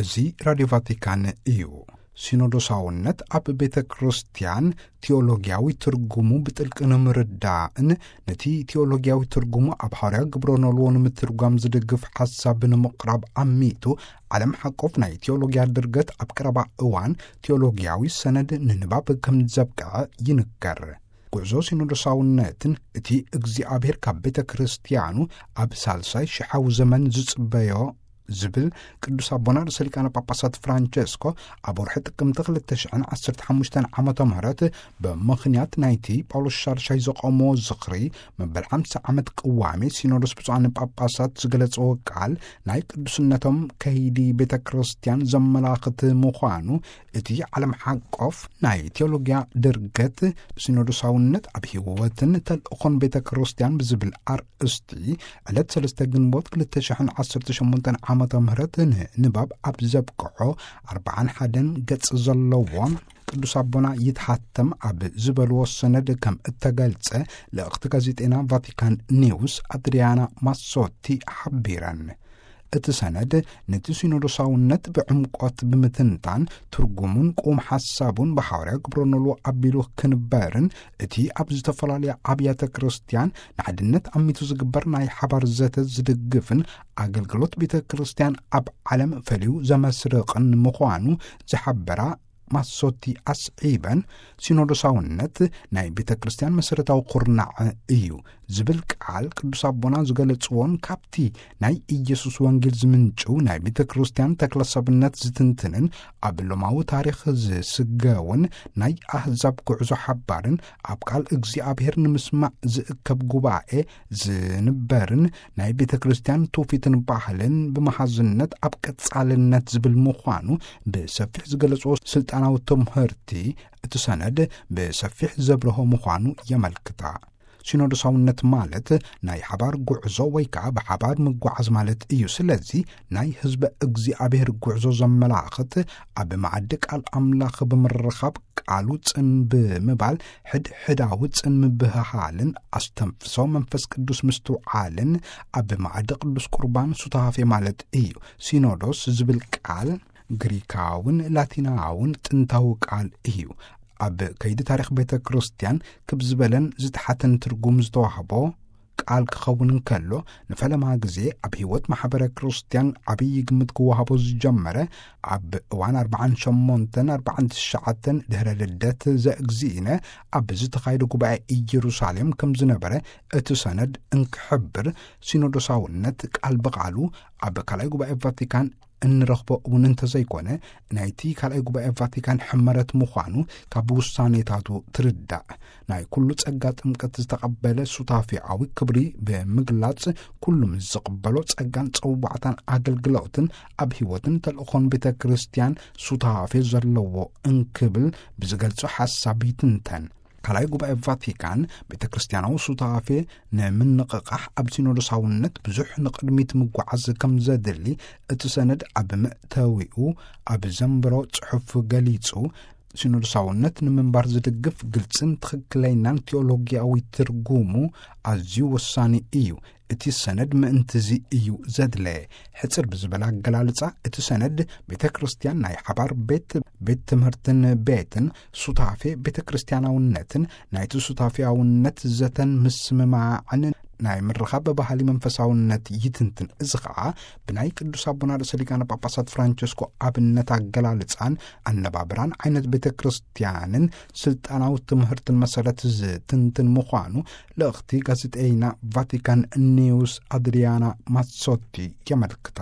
እዚ ራድዮ ቫቲካን እዩ። ሲኖዶሳውነት ኣብ ቤተ ክርስቲያን ቴዎሎጊያዊ ትርጉሙ ብጥልቂ ንምርዳእን ነቲ ቴዎሎጊያዊ ትርጉሙ ኣብ ሓዋርያ ግብረ ኖልዎ ንምትርጓም ዝድግፍ ሓሳብ ንምቕራብ ኣሚቱ፣ ዓለም ሓቆፍ ናይ ቴዎሎጊያ ድርገት ኣብ ቀረባ እዋን ቴዎሎጊያዊ ሰነድ ንንባብ ከም ዘብቅዐ ይንገር። ጉዕዞ ሲኖዶሳውነትን እቲ እግዚኣብሔር ካብ ቤተ ክርስቲያኑ ኣብ ሳልሳይ ሽሓዊ ዘመን ዝጽበዮ ዝብል ቅዱስ ኣቦና ርእሰ ሊቃነ ጳጳሳት ፍራንቸስኮ ኣብ ወርሒ ጥቅምቲ ክልተ ሽሕን ዓሰርተ ሓሙሽተን ዓመተ ምህረት ብምኽንያት ናይቲ ጳውሎስ ሻድሻይ ዘቆሞ ዝኽሪ መበል ሓምሳ ዓመት ቅዋሜ ሲኖዶስ ብፁዓን ጳጳሳት ዝገለጸዎ ቃል ናይ ቅዱስነቶም ከይዲ ቤተ ክርስቲያን ዘመላኽት ምዃኑ እቲ ዓለም ሓቆፍ ናይ ቴዎሎጊያ ድርገት ሲኖዶሳውነት ኣብ ህይወትን ተልእኾን ቤተ ክርስቲያን ብዝብል ኣርእስቲ ዕለት ሰለስተ ግንቦት ክልተ ሽሕን ዓሰርተ ሸሞንተን ዓመተ ምህረት ንንባብ ኣብ ዘብቅሖ ኣርባዓን ሓደን ገጽ ዘለዎ ቅዱስ ኣቦና ይትሓተም ኣብ ዝበልዎ ሰነድ ከም እተገልጸ ልእኽቲ ጋዜጠና ቫቲካን ኒውስ ኣድሪያና ማሶቲ ሓቢረን። እቲ ሰነድ ነቲ ሲኖዶሳውነት ብዕምቆት ብምትንታን ትርጉሙን ቁም ሓሳቡን ብሓዋርያ ግብረ ኖልዎ ኣቢሉ ክንበርን እቲ ኣብ ዝተፈላለያ ኣብያተ ክርስቲያን ንሓድነት ኣሚቱ ዝግበር ናይ ሓባር ዘተ ዝድግፍን ኣገልግሎት ቤተ ክርስቲያን ኣብ ዓለም ፈልዩ ዘመስርቕን ምዃኑ ዝሓበራ ማሶቲ ኣስዒበን፣ ሲኖዶሳውነት ናይ ቤተ ክርስቲያን መሰረታዊ ኩርናዕ እዩ ዝብል ቃል ቅዱስ ኣቦና ዝገለጽዎን ካብቲ ናይ ኢየሱስ ወንጌል ዝምንጭው ናይ ቤተ ክርስቲያን ተክለሰብነት ዝትንትንን ኣብ ሎማዊ ታሪኽ ዝስገውን ናይ ኣህዛብ ጉዕዞ ሓባርን ኣብ ቃል እግዚኣብሔር ንምስማዕ ዝእከብ ጉባኤ ዝንበርን ናይ ቤተ ክርስቲያን ትውፊትን ባህልን ብመሃዝነት ኣብ ቀጻልነት ዝብል ምዃኑ ብሰፊሕ ዝገለጽዎ ስልጣናዊ ትምህርቲ እቲ ሰነድ ብሰፊሕ ዘብርሆ ምዃኑ የመልክታ። ሲኖዶሳውነት ማለት ናይ ሓባር ጉዕዞ ወይ ከዓ ብሓባር ምጓዓዝ ማለት እዩ። ስለዚ ናይ ህዝበ እግዚኣብሔር ጉዕዞ ዘመላኽት ኣብ መዓዲ ቃል ኣምላኽ ብምርኻብ ቃሉ ጽን ብምባል ሕድ ሕዳዊ ጽን ምብህሃልን ኣስተንፍሶ መንፈስ ቅዱስ ምስትውዓልን ኣብ መዓዲ ቅዱስ ቁርባን ሱታፌ ማለት እዩ። ሲኖዶስ ዝብል ቃል ግሪካውን ላቲናውን ጥንታዊ ቃል እዩ። ኣብ ከይዲ ታሪኽ ቤተ ክርስቲያን ክብ ዝበለን ዝተሓተን ትርጉም ዝተዋህቦ ቃል ክኸውን እንከሎ፣ ንፈለማ ግዜ ኣብ ህይወት ማሕበረ ክርስቲያን ዓብዪ ግምት ክወሃቦ ዝጀመረ ኣብ እዋን ኣርባዓን ሸሞንተን ኣርባዓን ትሽዓተን ድሕረ ልደት ዘእግዚእነ ኣብ ዝተኻየደ ጉባኤ ኢየሩሳሌም ከም ዝነበረ እቲ ሰነድ እንክሕብር፣ ሲኖዶሳውነት ቃል ብቓሉ ኣብ ካልኣይ ጉባኤ ቫቲካን እንረኽቦ እውን እንተዘይኮነ፣ ናይቲ ካልኣይ ጉባኤ ቫቲካን ሕመረት ምዃኑ ካብ ውሳኔታቱ ትርዳእ። ናይ ኩሉ ጸጋ ጥምቀት ዝተቐበለ ሱታፌኣዊ ክብሪ ብምግላጽ፣ ኩሉ ምስ ዝቕበሎ ጸጋን ጸዋዕታን ኣገልግሎትን ኣብ ህይወትን ተልእኾን ቤተ ክርስቲያን ሱታፌ ዘለዎ እንክብል ብዝገልጾ ሓሳብ ይትንተን። ካልኣይ ጉባኤ ቫቲካን ቤተ ክርስቲያናዊ ሱታፌ ንምንቕቓሕ ኣብ ሲኖዶሳውነት ብዙሕ ንቕድሚት ምጓዓዝ ከም ዘድሊ እቲ ሰነድ ኣብ መእተዊኡ ኣብ ዘንበሮ ጽሑፍ ገሊጹ። ሲኖዶሳውነት ንምንባር ዝድግፍ ግልጽን ትኽክለኛን ቴዎሎጊያዊ ትርጉሙ ኣዝዩ ወሳኒ እዩ። እቲ ሰነድ ምእንትዚ እዩ ዘድለ። ሕጽር ብዝበለ ኣገላልጻ፣ እቲ ሰነድ ቤተ ክርስቲያን ናይ ሓባር ቤት፣ ቤት ትምህርትን ቤትን ሱታፌ ቤተ ክርስቲያናውነትን ናይቲ ሱታፌያውነት ዘተን ምስምማዕን ናይ ምርኻብ ባህሊ መንፈሳውነት ይትንትን። እዚ ኸዓ ብናይ ቅዱስ ኣቦና ርእሰ ሊቃነ ጳጳሳት ፍራንቸስኮ ኣብነት ኣገላልጻን ኣነባብራን ዓይነት ቤተ ክርስቲያንን ስልጣናዊ ትምህርትን መሰረት ዝትንትን ምዃኑ ልእኽቲ ጋዜጠይና ቫቲካን ኒውስ ኣድሪያና ማሶቲ የመልክታ።